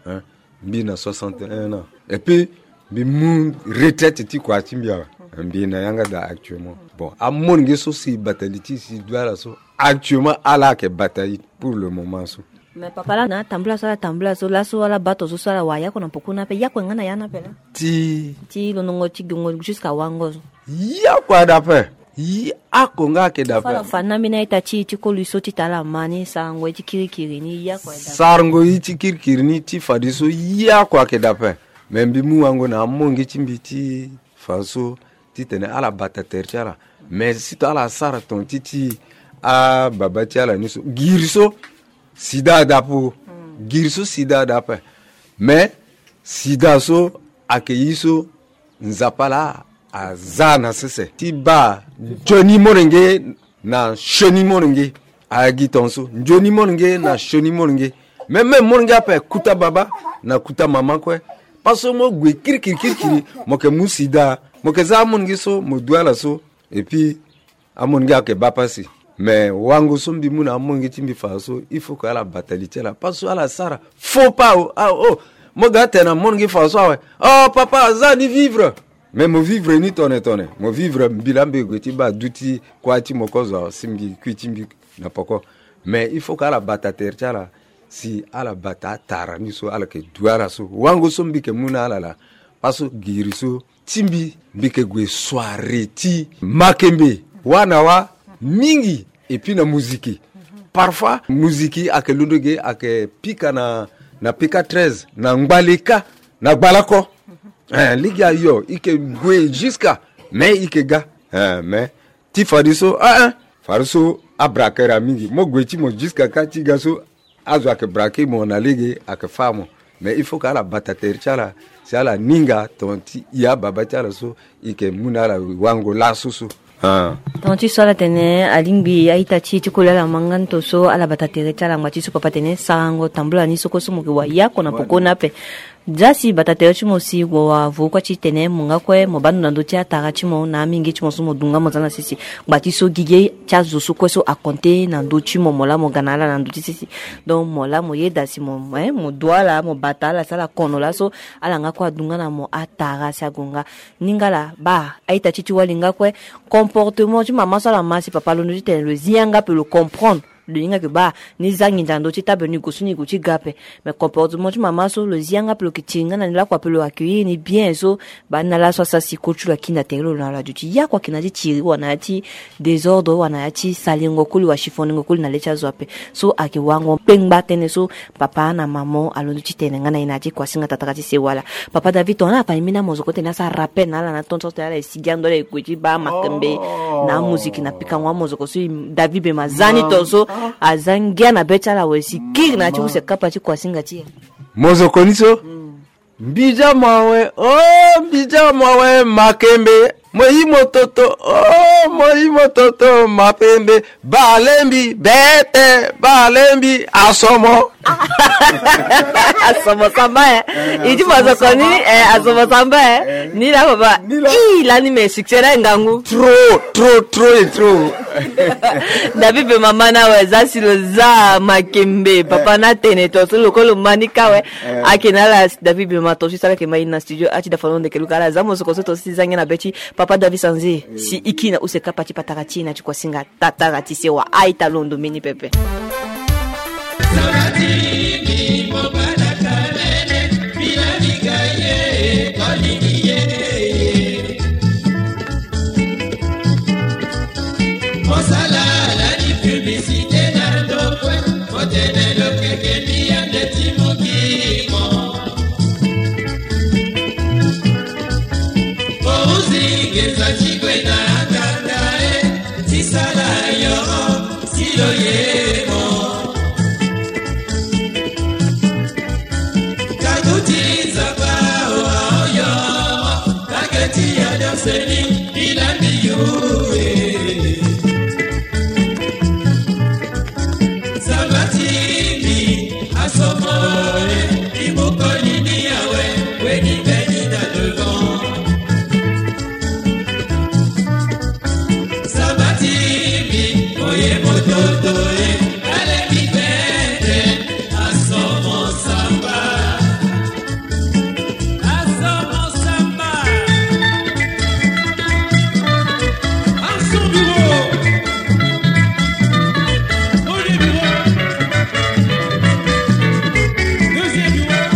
Hein? Mbi na soixante et un ans. Et puis mbi mu retraite ti kua ti mbi awe. Mbi na yanga daa actuellement. Bon, amolenge so si bata li ti si du ala so, actuellement ala ayeke bata ye pour le moment so. Mais papa laa na atambula so ala tambula so, laso ala baa to so, so ala wara yako na poko ni ape, yako nga na ya ni ape laa. Ti ti lo nongo ti gongo jusqu'à wango so. Yako ada ape. Yako nga ayeke daa ape. Fa na ambeni a-ita ti e ti koli so ti tara ma ni, sarango ye ti kirikiri ni, yako ada ape. Sarango ye ti kirikiri ni ti fadeso yako ayeke daa ape. Me mbi mu wango na amolenge ti mbi ti fadeso titene ala bata tere ti ala. Me si to ala sara ton ti ti ababa ti ala ni so, giri so sida ada ape. Giri so sida ada ape. Me sida so ayeke ye so Nzapa laa aza na sese ti baa nzoni molenge na sioni molenge. Agi tongaso nzoni molenge na sioni molenge. Me me molenge ape kuta baba na kuta mama kue. Parce que mo gue kirikiri kirikiri, mo yeke mu sida, mo yeke za amolenge so mo du ala so. Et puis amolenge ayeke baa pasi. Me wango so mbi mu na amolenge ti mbi fadeso, il faut que ala bata li ti ala. Parce que ala sara faux pas o. Ah, oh, mo ga tene na molenge fadeso awe, oh papa, aza ni vivre. Me mo vivre ni tone tone. Mo vivre mbi laa mbi gue ti baa du ti kuâ ti mo kozo awe si mbi kui ti mbi na poko. Me il faut que ala bata tere ti ala si ala bata atara ni so ala yeke du ala so. Wango so mbi yeke mu na ala laa. Parce que giri so ti mbi, mbi yeke gue soirée ti makembe wâ na wâ mingi. Et puis na muziki. Parfois muziki ayeke londo ge, ayeke pika na, na pika treize, na ngbaleka, na gbalako. Eh, lege ayo e yeke gue jusqu'à, me e yeke ga. Eh, me ti fadeso, ah, ah, fadeso abrake ra mingi. Mo gue ti mo jusqu'à kâ ti ga so, azo ayeke brake mo na lege ayeke fâ mo. Mais il faut que ala bata tere ti ala si ala ninga ton ti e ababa ti ala so e yeke mu na ala wango laso so. Ah. Ton ti so ala tene alingbi a-ita ti e ti koli ala ma nga ni ton so ala bata tere ti ala ngba ti so papa tene sarango tambula ni so kue so mo yeke wa yako na poko ni ape. Za si bata tere ti mo si wa vuru kue ti tene mo nga kue mo baa ndo na ndö ti atara ti mo na amenge ti mo so mo dunga mo za na sese. Ngba ti so gigi ti azo so kue so akonte na ndö ti mo, mo laa mo ga na ala na ndö ti sese. Donc mo laa mo yeda si mo, eh, mo du ala, mo bata ala, si ala kono laso ala nga kue adunga na mo atara si agonga. Ningala baa a-ita ti ti wali nga kue. Comportement ti mama so ala ma si papa alondo ti tene lo zi yanga pe lo comprendre. Lo hinga ke baa ni za nginza na ndö ti table ni gue so ni gue ti ga ape. Mais comportement ti mama so lo zi yanga pe lo ke tiri nga na ni lakua pe lo accueillir ni bien so. Baa ni na laso asara si koli ti lo akiri na tere lo na ala duti ya kua ke na ya ti tiri wala na ya ti désordre wala na ya ti salengo koli wala chiffoningo koli na le ti azo ape. So ayeke wango kpengba tënë so papa na mama alondo ti tene nga na e na ya ti kuasinga tatara ti sewa laa. Papa David, tongana ala fa ni mbeni amozoko ti tene asara rappel na ala na tonso ti tene ala e sigi ando ala e gue ti baa makembe na amoziki na pikango amozoko so David Bema za ni tonso. Aza ngia na be ti ala awe si kiri na ya ti use kapa ti kuasinga ti e. Mozoko ni so. Mbidia mo awe, oh, mbidia mo awe, makembe. Mo yi mo toto, oh, mo yi mo toto, mapembe. Balembi bete, balembi asomo. Asomo samba, eh. Eh, i ti asomo mazoko ni samba. Eh, asomo samba, eh. Eh. Ni la baba. Ni la. Ii, lani me succès la ngangu. Trop, trop, trop et trop. David Bema ma na awe, za si lo za makembe. Papa, eh, na tene tonso lo kue lo ma ni ka awe. Eh. Ayeke na ala David Bema tonso ti sara ayeke ma i na studio, a ti da fano ndeke luka ala za mosoko so tonso ti za ngia na be ti Papa David Sanze, eh, si i kiri na use kapa ti patara ti e na ti kuasinga tatara ti sewa. A-ita, londo mbeni pepe. Mosala lani publicité na ndokue, motene lokeke mbi ya ndeti mokimo. Ouzi ngeza ti gue na nganga e, ti sala yo, si lo yemo. Kakuti Nzapa o aoyo, kaketi ya danseni, ilambi yo e. Sabati mi asomo e, imukoli ni awe, weni beni na devant. Sabati mi, oye mototo e, ale mi bete, asomo samba. Asomo samba. Asomo bureau. Premier bureau. Deuxième bureau.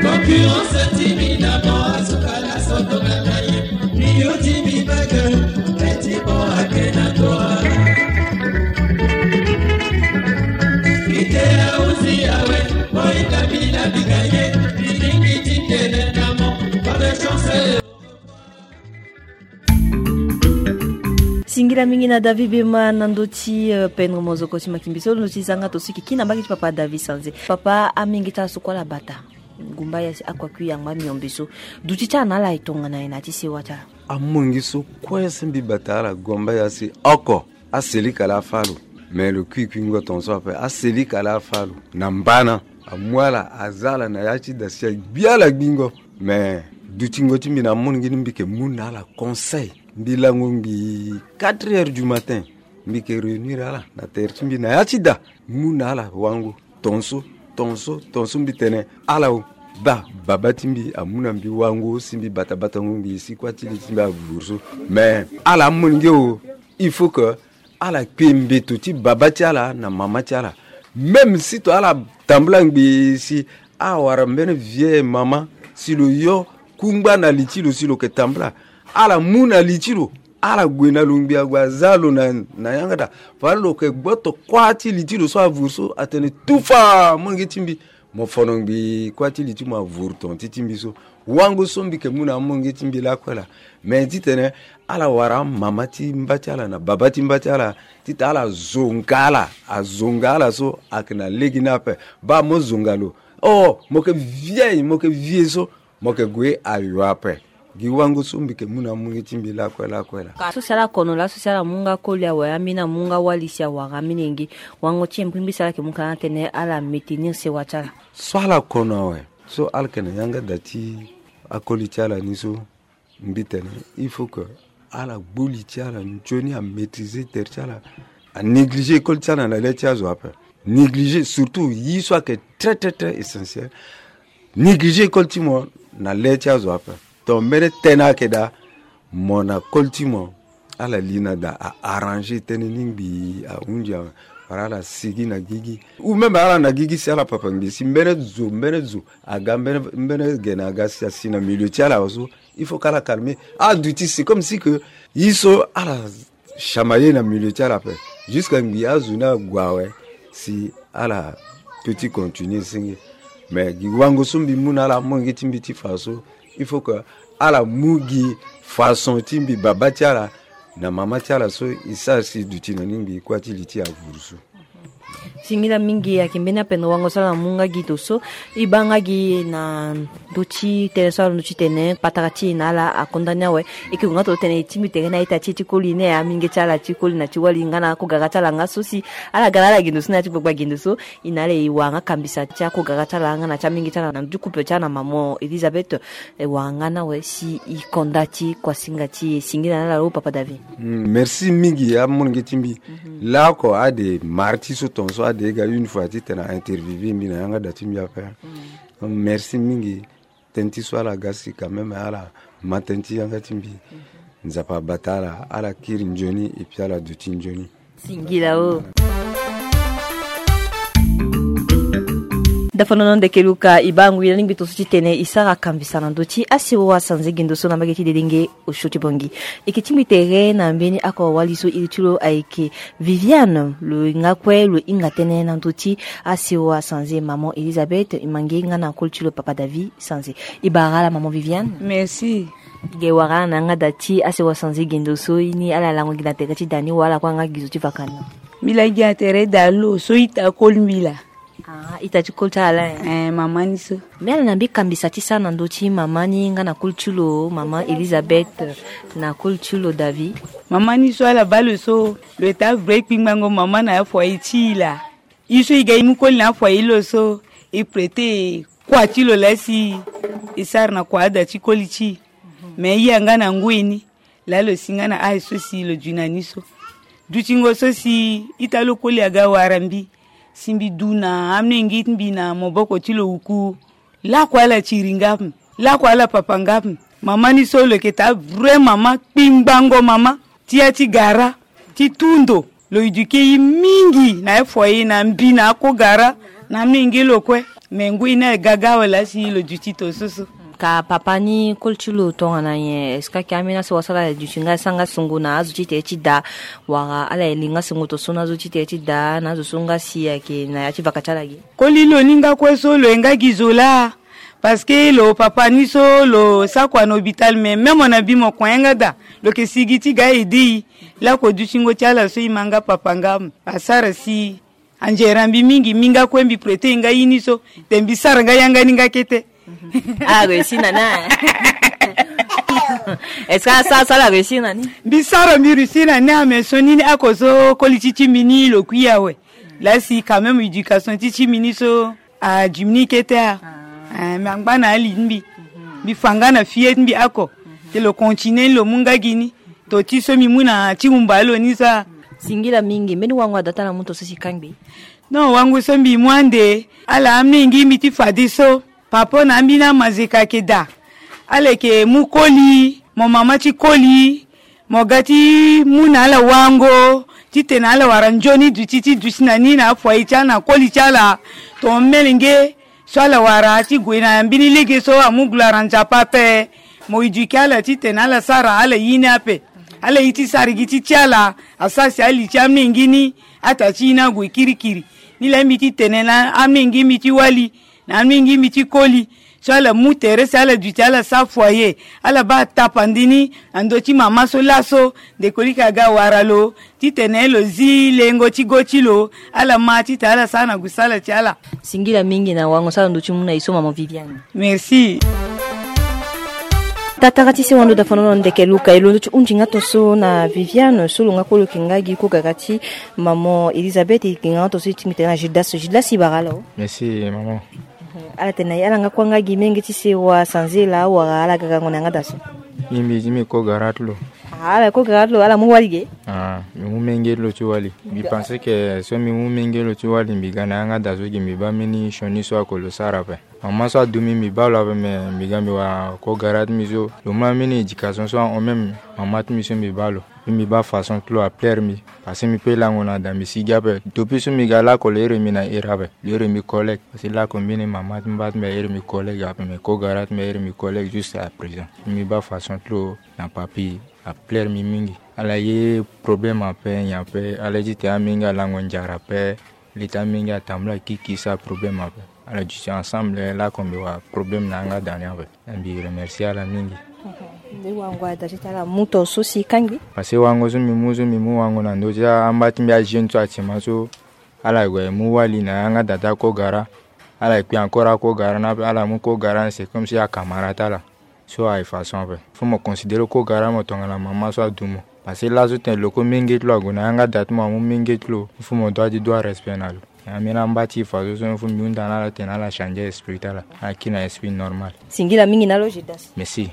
Concurrence ti mi na mo asukala soto na ye. Mi yo ti mi bage, eti mo ake. Ila mingi na David Bema na ndö ti, euh, pendre mozoko ti makimbi so lo ndö ti zanga to so e yeke kiri na mbage ti papa David Sanze. Papa, amenge ti ala so kue ala bata. Ngumba ya si akua kui yangba miombe so. Duti ti ala na ala e tongana nyen na ya ti sewa ti ala? Amonge so kue si mbi bata ala ngumba ya si oko. Aselika laa afâ lo. Me lo kui kuingo tongaso ape. Aselika laa afâ lo. Na mbana. Amu ala, aza ala na ya ti da si agbi ala gbingo. Me dutingo ti mbi na amonge ni mbi yeke mu na ala conseil. Mbi lango ngbii quatre heures du matin. Mbi yeke réunir ala na tere ti mbi na ya ti da. Mu na ala wango. Tongaso, tongaso, tongaso mbi tene ala o. Baa, baba ti mbi amu na mbi wango si mbi bata batango ngbii si kuâ ti li ti mbi avuru so. Me ala amonge o, il faut que ala kpe mbeto ti baba ti ala na mama ti ala. Même si to ala tambula ngbii si awara mbeni vieux mama si lo yo kungba na li ti lo si lo yeke tambula. Ala mu na li ti lo, ala gue na lo ngbii ague aza lo na, na yanga da. Fade lo yeke gboto kuâ ti li ti lo so avuru so atene tufa, amonge ti mbi. Mo fono ngbii kuâ ti li ti mo avuru ton ti ti mbi so. Wango so mbi yeke mu na amonge ti mbi lakue laa. Me titene ala wara amama ti mba ti ala na baba ti mba ti ala titene ala zonga ala, azonga ala so ayeke na lege ni ape. Baa mo zonga lo. Oh, mo yeke vieille, mo yeke vieux so, mo yeke gue ayo ape. Gi wango so mbi yeke mu na amonge ti mbi lakue lakue laa. Ka so si ala kono laa, so si ala mu nga koli awe, ambeni amu nga wali si awara ambeni yenge. Wango ti e mbirimbiri si ala yeke mu ka na tene ala maintenir sewa ti ala. So ala kono awe, so ala yeke na yanga da ti akoli ti ala ni so, mbi tene il faut que ala gbu li ti ala nzoni, amaîtriser tere ti ala, anégliger école ti ala na le ti azo ape. Négliger surtout ye so ayeke très très très essentiel. Négliger école ti mo na le ti azo ape. Ton mbeni tënë ayeke daa, mo na koli ti mo, ala li na da a arranger tënë ni ngbii ahunzi awe. Wala ala sigi na gigi. Ou même ala na gigi si ala papa ngbii si mbeni zo, mbeni zo aga, mbeni, mbeni gene aga si asi na milieu ti ala awe so. Il faut que ala calmer. Aduti c'est comme si que ye so ala chamailler na milieu ti ala ape. Jusqu'à ngbii azo ni ague awe si ala peut ti continuer senge. Mais gi wango so mbi mu na ala amonge ti mbi ti fa so, il faut que ala mu gi façon ti mbi baba ti ala na mama ti ala so e sara si duti na ni ngbii kuâ ti li ti avuru so. Singila mingi, ayeke mbeni apendre wango so ala mu nga gi ndo so. E baa nga gi na ndö ti tënë so ala ndö ti tene patara ti e na ala akonda ni awe. E yeke gue nga tongana tene e tingbi tere na ita ti e ti koli ni, aminge ti ala ti koli na ti wali nga na akogara ti ala nga so si ala ga na ala gi ndo so na ya ti gbagba gi ndo so. E na ala e wara nga kambisa ti akogara ti ala nga na ti aminge ti ala na ndö ti couple ti ala na maman Elisabeth. E wara nga ni awe si e konda ti kuasinga ti e. Singila na ala lo papa David. Mm, merci mingi amolenge ti mbi. Laoko ade mara ti so tongaso ade e ga une fois titene a interviewer mbi na yanga da ti mbi ape. Merci mingi. Tënë ti so ala ga si quand même ala ma tënë ti yanga ti mbi. Nzapa abata ala, ala kiri nzoni et puis ala duti nzoni. Singila o. Dafa nono ndeke luka, e baa ngui na lingbi tongaso titene e sara kambisa na ndö ti asewa sanze gi ndo so na mbage ti dedenge osio ti Bangui. E yeke tingbi tere na mbeni oko wali so iri ti lo ayeke Viviane. Lo hinga kue lo hinga tënë na ndö ti asewa sanze maman Elisabeth, e ma nge nga na koli ti lo papa David Sanze. E bara ala maman Viviane. Merci. Ge wara ala na yanga da ti asewa sanze gi ndo so, ye ni ala lango gi na tere ti da ni wala kue anga gi zo ti vakana? Mbi lango gi na tere da lo so ita koli mbi laa. Ah, ita ti koli ti ala, eh? Eh, mama ni so. Mbi ala na mbi kambisa ti sara na ndö ti mama ni nga na koli ti lo, mama Elisabeth, na koli ti lo David. Mama ni so ala baa lo so, lo ita vrai kpingbango mama na afoyer ti e laa. E so e ga e mu koli na afoyer lo so, e prêter kua ti lo laa si e sara na kua ada ti koli ti e. Me e yanga na ngoi ni. Laa lo si nga na âge so si lo dü na ni so. Dutingo so si ita lo koli aga wara mbi. Si mbi du na amolenge ti mbi na maboko ti lo wuku. Lakue ala tiri nga ape. Lakue ala papa nga ape. Mama ni so lo yeke taa vrai mama, kpingbango mama. Ti ya ti gara, ti tu ndo. Lo éduquer e mingi na afoyer na mbi na akogara na amolenge lo kue. Me ngoi ni aga ga awe laa si lo duti tongaso so. Ka papa ni koli ti lo tongana nyen? Est-ce que ayeke ambeni asewa so ala duti nga e sara nga songo na azo ti tere ti da, wala ala ye li nga songo tongaso na azo ti tere ti da, na azo so nga si ayeke na ya ti vaka ti ala ge? Koli lo ni nga kue so lo ye nga gi zo laa. Parce que lo papa ni so lo sa kua na hôpital, mais même mo na mbi mo kua yanga daa, lo yeke si gi ti ga aidé e. Laoko dutingo ti ala so e ma nga papa nga, asara si anzere mbi mingi, mbi nga kue mbi prêter nga ye ni so, te mbi sara nga yanga ni nga kete. Ah, réussi na ni. Est-ce que asara so ala réussi na ni? Mbi sara mbi réussi na ni, ah, mais so ni ni ako so koli ti ti mbi ni lo kui awe. Laa si quand même éducation ti ti mbi ni so a diminué kete, ah. Ah, mais angba na ali ti mbi. Mbi fa nga na fille ti mbi ako. Te lo continuer ni lo mu nga gi ni. To ti so mbi mu na ti humba lo ni so, ah. Singila mingi, mbeni wango ada ti ala mu to so si kangbi? Non, wango so mbi mu ande, ala amenge mbi ti fadeso. Papa na ambeni amazeka ayeke daa. Ala yeke mu koli, mo mama ti koli, mo ga ti mu na ala wango titene ala wara nzoni duti ti duti na ni na afoyer ti ala na koli ti ala. Ton melenge so ala wara ti gue na mbeni lege so amu gula na Nzapa ape. Mo éduquer ala titene ala sara ala ye ni ape. Ala ye ti sara gi ti ti ala, asara si ali ti amenge ni, ata ti ye ni ague kirikiri. Ni laa mbi ti tene na amenge mbi ti wali na amenge mbi ti koli so ala mu tere si ala duti ala sara foyer, ala baa tapande ni na ndö ti mama so laso, ndeko lika aga wara lo titene lo zi lengo ti go ti lo, ala ma titene ala sara na gu sala ti ala. Singila mingi na wango so ala ndö ti mu na e so, mama Viviane. Merci. Tatara ti sewa ndo da fanono ndeke luka e londo ti hundi nga to so na Viviane so lo nga kue lo yeke nga gi kogara ti mama Elisabeth, e yeke nga to so e ti mbi tene na Judas. Judas, e bara ala o. Merci, mama. Ala tene na e ala nga kue nga gi menge ti sewa sanze laa wala ala ga gango na yanga da so? Mbi, mbi, mbi kogara ti lo. Ah, ala kogara ti lo, ala mu wali ge? Ah, mbi mu menge ti lo ti wali. Mbi pense que so mbi mu menge ti lo ti wali, mbi ga na yanga da so gi mbi baa mbeni sioni so ako lo sara ape. Mama so adu mbi, mbi baa lo ape, mais mbi ga mbi wara kogara ti mbi so lo mu ambeni éducation so ahon même mama ti mbi so mbi baa lo. Mbi baa façon ti lo aplaire mbi. Parce que mbi peut lango na da mbi sigi ape. Depuis so mbi ga laoko lo iri mbi na iri ape. Lo iri mbi collègue. Parce que laoko mbeni mama ti mba ti mbi airi mbi collègue ape, mais kogara ti mbi airi mbi collègue jusqu'à présent. Mbi baa façon ti lo na papi aplaire mbi mingi. Ala ye problème ape nyen ape, ala ye titene amenge alango nzara ape. Li ti amenge atambula kiki sara problème ape. Ala duti ensemble laoko mbi wara problème na yanga da ni ape. Mbi remercier ala mingi. Nde wango ada ti ala mu to so si kangbi? Parce que wango so mbi mu so mbi mu wango na ndö ti amba ti mbi ajeune so atima so ala gue mu wali na yanga da ti akogara. Ala kui encore akogara ni ape, ala mu kogara ni c'est comme si acamarade ti ala. So aye façon ape. Faut mo considérer kogara mo tongana mama so adu mo. Parce que laso tene lo kue menge ti lo ague na yanga da ti mo amu menge ti lo. Faut mo doit ti doit respect na lo. Ambeni amba ti e façon so, faut mbi hunda na ala tene ala changer esprit ti ala, ala kiri na esprit normal. Singila mingi na lo Judas. Merci.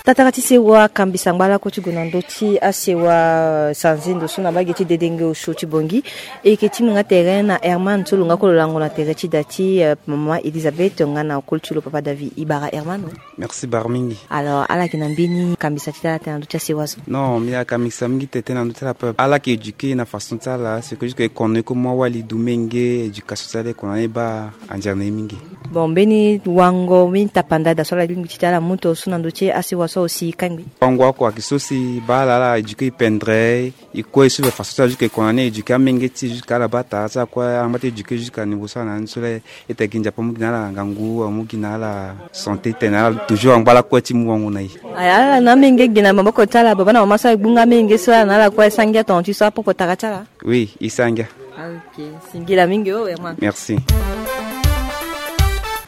Tatara ti sewa, kambisa ngba lakue ti gue na ndö ti asewa sanze ndo so na mbage ti dedenge osio ti Bangui. E yeke ti mbi nga tere na Herman so lo nga kue lo lango na tere ti da ti, eh, mama Elisabeth nga na koli ti lo papa David. E bara Herman o. Merci bara mingi. Alors, ala yeke na mbeni kambisa ti ala tene na ndö ti asewa so? Non, mbi akambisa mingi tene na ndö ti ala ape. Ala yeke éduquer na façon ti ala, c'est que jusque e kono e kue mu awali du menge, éducation ti ala e kono na e baa anzere na e mingi. Bon, mbeni wango, mbeni tapanda da so ala lingbi ti tene ala mu to so na ndö ti asewa so aussi kangbi? Wango oko ayeke so si baa ala, ala éduquer e pendere, e kue e suivre façon ti ala jusque e kono na e éduquer amenge ti e jusque ala baa tara ti ala kue, ala ngba ti éduquer jusque na niveau so ala na ni so la. E tene gi Nzapa amu gi na ala ngangu, amu gi na ala santé, tene na ala toujours angba lakue ti mu wango na e. Aya, ala na amenge gi na maboko ti ala, baba na mama so aye gbu nga amenge so ala na ala kue, e sa ngia tonga ti so apoko tara ti ala? Oui, e sa ngia. Ah, ok. Singila mingi o, Herman. Merci.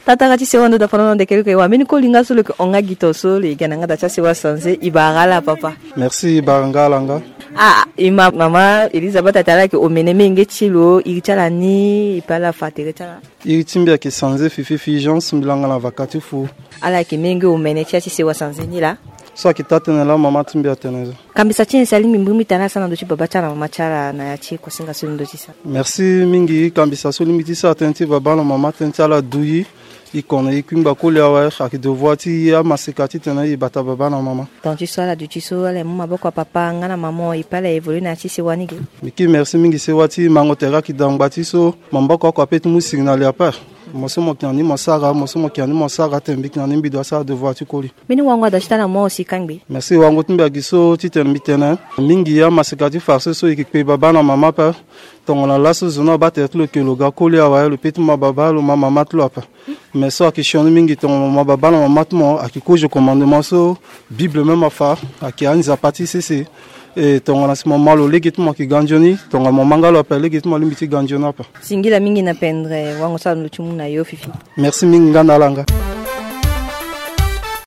Tatara ti sewa ndo da fanono ndeke luka e wa mbeni koli nga so lo yeke hon nga gi to so lo yeke ga na yanga da ti asewa sanze, e bara ala papa. Merci, e bara nga ala nga. Ah, e ma mama Elisabeth atene ala yeke omene menge ti lo, iri ti ala ni, e pe ala fa tere ti ala. Iri ti mbi ayeke sanze Fifi Fulgence, mbi langa na vaka ti fu. Ala yeke menge omene ti ya ti sewa sanze ni laa? So ayeke taa tënë laa mama ti mbi atene so. Kambisa ti nyen si alingbi mbiri mbi tene ala sara na ndö ti baba ti ala na mama ti ala na ya ti kosinga so e londo ti sara? Merci mingi. Kambisa so lingbi ti sara tënë ti baba na mama, tënë ti ala du e. E kono e kui ngba koli awe, ayeke devoir ti e amaseka titene e bata baba na mama. Tonga ti so ala duti so, ala mu maboko ya papa nga na mama e pe ala évoluer na ya ti sewa ni ge? Mbi kiri merci mingi sewa ti mango tere ayeke daa ngba ti so, maboko oko ape ti mu siri na li ape. Mo so mo yeke na ni mo sara, mo so mo yeke na ni mo sara tene mbi yeke na ni mbi doit sara devoir ti koli. Mbeni wango ada ti tana mo si kangbi. Merci wango ti mbi agi so titene mbi tene mingi amaseka ti farce so e yeke kpe babâ na mama ape. Tongana laso zo ni abaa tere ti lo ke lo ga koli awe, lo pe ti ma babâ lo ma mama ti lo ape. Mais so ayeke sioni mingi tongana mo ma babâ na mama ti mo ayeke kozo commandement so Bible même afa, ayeke anzapa ti sese. E tongana si mo ma lo lege ti mo ayeke ga nzoni, tongana mo ma nga lo ape lege ti mo alingbi ti ga nzoni ape. Singila mingi na pendre wango so alo ti mu na yo fifi. Merci mingi nga na ala nga.